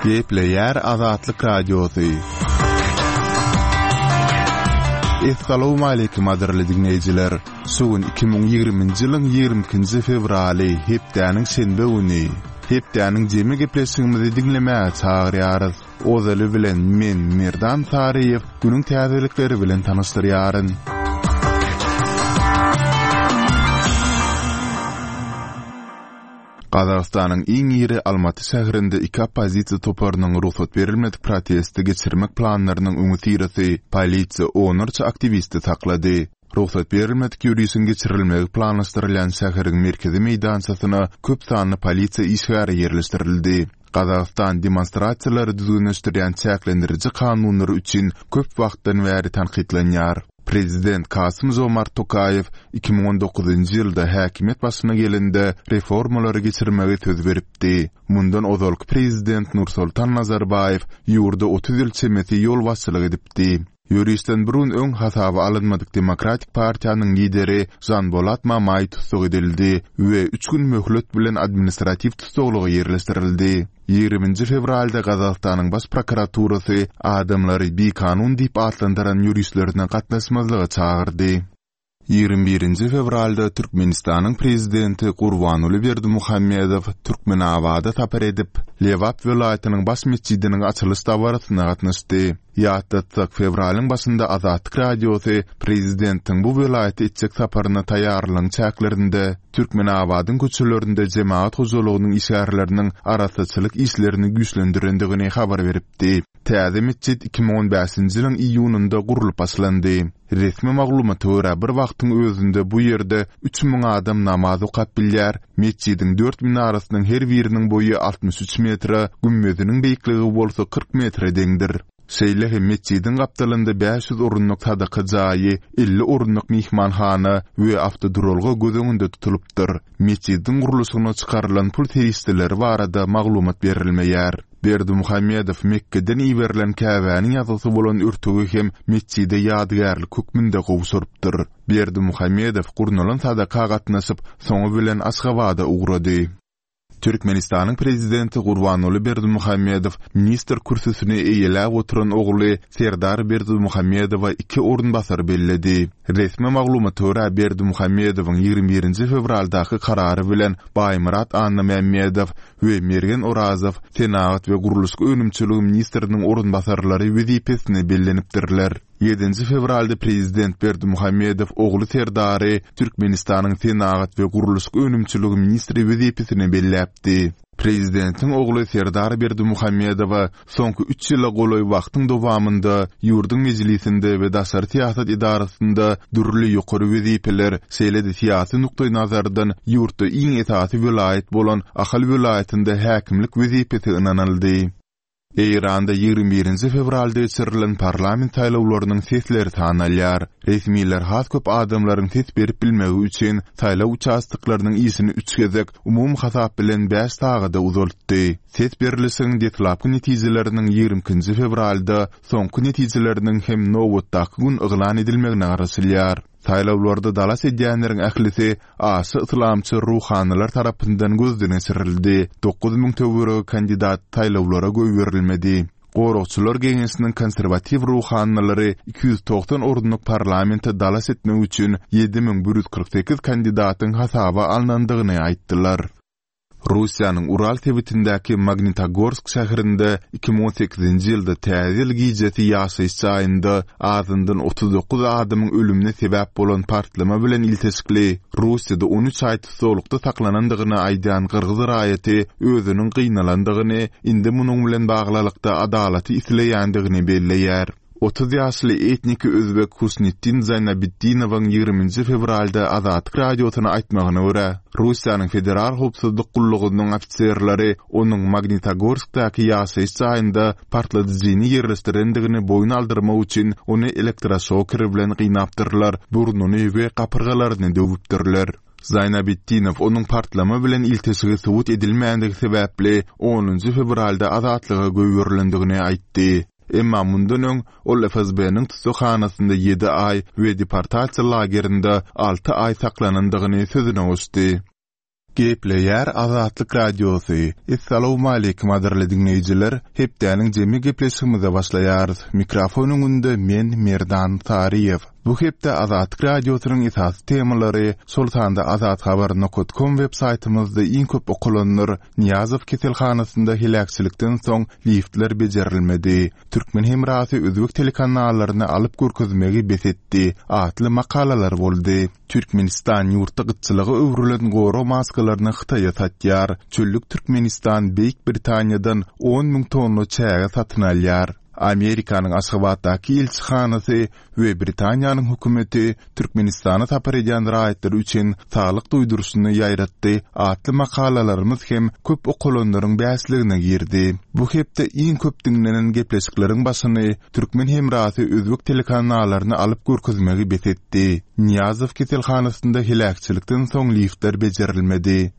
Gepleýär Azatlyk Radiosy. Essalawmaleýkim gadyrly diňleýjiler! Şu gün 2020-nji ýylyň 22-nji fewraly, hepdäniň şenbe güni. Hepdäniň jemi gepleşigimizi diňlemäge çagyrýarys. Ozaly bilen men, Merdan Saryýew, günüň täzelikleri bilen tanyşdyrýaryn. Gazagystanyň iň iri Almaty şäherinde iki oppozisiýa toparynyň rugsat berilmedik protesti geçirmek planlarynyň öňüsyrasy polisiýa onlarça aktiwisti saklady. Rugsat berilmedik ýörişiň geçirilmegi planlaşdyrylýan şäheriň merkezi meýdançasyna köp sanly polisiýa işgäri ýerleşdirildi. Gazagystan demonstrasiýalary düzgünleşdirýän çäklendiriji kanunlary üçin köp wagtdan bäri tankytlanýar. Prezident Kasym-Žomart Tokaýew 2019-njy ýylda häkimiýet başyna gelende reformalary geçirmegi söz beripdi. Mundan ozalky prezident Nursoltan Nazarbaýew ýurda 30 ýyl çemesi ýolbaşçylyk edipdi. Ýörişden bir gün öň hasaba alynmadyk Demokratik partiýanyň lideri Žanbolat Mamaý tussag edildi we üç gün möhlet bilen administratiw tussaglyga ýerleşdirildi. Ýigriminji fewralda Gazagystanyň Baş prokuraturasy adamlary bikanun diýip atlandyran ýörişlerine gatnaşmazlyga çagyrdy. Ýigrimi birinji fewralda Türkmenistanyň Prezidenti Gurbanguly Berdimuhamedow Türkmenabada sapar edip, Lebap welaýatynyň baş metjidiniň açylyş dabarasyna gatnaşdy. Ýatlatsak, fewralyň başynda Azatlyk Radiosy prezidentiň bu welaýata etjek saparyna taýýarlygyň çäklerinde Türkmenabadyň köçelerinde jemagat hojalygynyň işgärleriniň arassaçylyk işlerini güýçlendirendigini habar beripdi. Täze metjit 2015-nji ýylyň iýunynda gurlup başlandy. Resmi maglumata görä, bir wagtyň özünde bu ýerde 3000 adam namaz okap bilýär, metjidiň dört minarasynyň her biriniň boýy 63 metre, gümmeziniň beýikligi bolsa 40 metre deňdir. Şeýle hem metjidiň gapdalynda 500 orunlyk sadaka jaýy, 50 orunlyk myhmanhana we awtoduralga göz öňünde tutulypdyr. Metjidiň gurluşygyna çykarylan pul serişdeleri barada maglumat berilmeýär. Berdimuhamedow Mekgeden iberilen Käbäniň ýazgysy bolan örtügi hem metjide ýadygärlik hökmünde gowşurypdyr. Berdimuhamedow gurnalan sadaka gatnaşyp, soňy bilen Aşgabada ugrady. Türkmenistanyň Prezidenti Gurbanguly Berdimuhamedow ministr kürsüsini eýeläp oturan ogly Serdar Berdimuhamedowa iki orunbasar belledi. Resmi maglumata görä, Berdimuhamedowyň 21-nji fewraldaky karary bilen Baýmyrat Annamämmedow we Mergen Orazow senagat we gurluşyk önümçiligi ministriniň orunbasarlary wezipesine bellenipdirler. Ýedinji fewralda prezident Berdimuhamedow ogly Serdary Türkmenistanyň senagat we gurluşyk önümçiligi ministri wezipesine belläpdi. Prezidentiň ogly Serdar Berdimuhamedowa soňky üç ýyla golaý wagtyň dowamynda ýurduň Mejlisinde we daşary syýasat edarasynda dürli ýokary wezipeler, şeýle-de syýasy nukdaýnazardan ýurtda iň esasy welaýat bolan Ahal welaýatynda häkimlik wezipesi ynanyldy. Eýranda 21-nji fewralda geçirilen parlament saýlawlarynyň sesleri sanalýar. Resmiler has köp adamlaryň ses berip bilmegi üçin saýlaw uçastoklarynyň işini üç gezek, umumy hasap bilen bäş sagada uzaltdy. Ses berlişigiň deslapky netijeleriniň 22-nji fewralda, soňky netijeleriniň hem nobatdaky gün yglan edilmegine garaşylýar. Saýlawlarda dalaş edýänleriň ählisi aşa yslamçy ruhanylar tarapyndan gözden geçirildi, 9000 töweregi kandidat saýlawlara goýberilmedi. Goragçylar geňeşiniň konserwatiw ruhanylary 290 orunlyk parlamente dalaş etmek üçin 7148 kandidatyň hasaba alnandygyny aýtdylar. Russiýanyň Ural sebitindäki Magnitogorsk şäherinde 2018-nji ýylda Täze ýyl gijesi ýaşaýyş jaýynda azyndan 39 adamyň ölümine sebäp bolan partlama bilen ilteşikli Russiýada 13 aý tussaglykda saklanandygyny aýdýan gyrgyz raýaty özüniň gynalandygyny, indi munuň bilen baglylykda adalaty isleýändigini belleýär. 30 ýaşly etniki özbek Husnitdin Zaýnabitdinowyň 20-nji fewralda Azatlyk Radiosyna aýtmagyna görä, Russiýanyň Federal howpsuzlyk gullugynyň ofiserleri onuň Magnitogorskdaky ýaşaýyş jaýynda partladyjyny ýerleşdirendigini boýun aldyrmak üçin ony elektroşoker bilen gynapdyrlar, burnuny we gapyrgalaryny döwüpdirler. Zaýnabitdinow onuň partlama bilen ilteşigi subut edilmändigi sebäpli onunjy fewralda azatlyga goýberilendigini aýtdy. Emma mundan öň ol FSB-niň tussaghanasynda ýedi aý we deportasiýa lagerinde alty aý saklanandygyny sözüne goşdy. Gepleýär Azatlyk Radiosy, Essalawmaleýkim gadyrly diňleýjiler! Hepdäniň jemi gepleşigimize başlaýarys. Mikrofon öňünde men Merdan Saryýew. Bu hepde Azatlyk Radiosynyň esasy temalary, şol sanda azathabar nokat kom web saýtymyzda iň köp okalanlar, Nyýazow keselhanasynda heläkçilikden soň liftler bejerilmedi, Türkmen hemrasy özbek telekanallaryny alyp görkezmegi bes etdi atly makalalar boldy. Türkmenistan ýurtda gytçylyga öwrülen gorag maskalaryny Hytaýa satýar. Çöllük Türkmenistan Beýik Britaniýadan 10 müň tonna çäge satyn alýar. Amerikanyň Aşgabatdaky ilçihanasy we Britaniýanyň hökümeti Türkmenistana sapar edýän raýatlar üçin saglyk duýduryşyny ýaýratdy atly makalalarymyz hem köp okalanlaryň bäşligine girdi. Bu hepde iň köp diňlenen gepleşikleriň başyny Türkmen hemrasy özbek telekanalaryny alyp görkezmegi bes etdi. Nyýazow keselhanasynda heläkçilikden soň liftler bejerilmedi.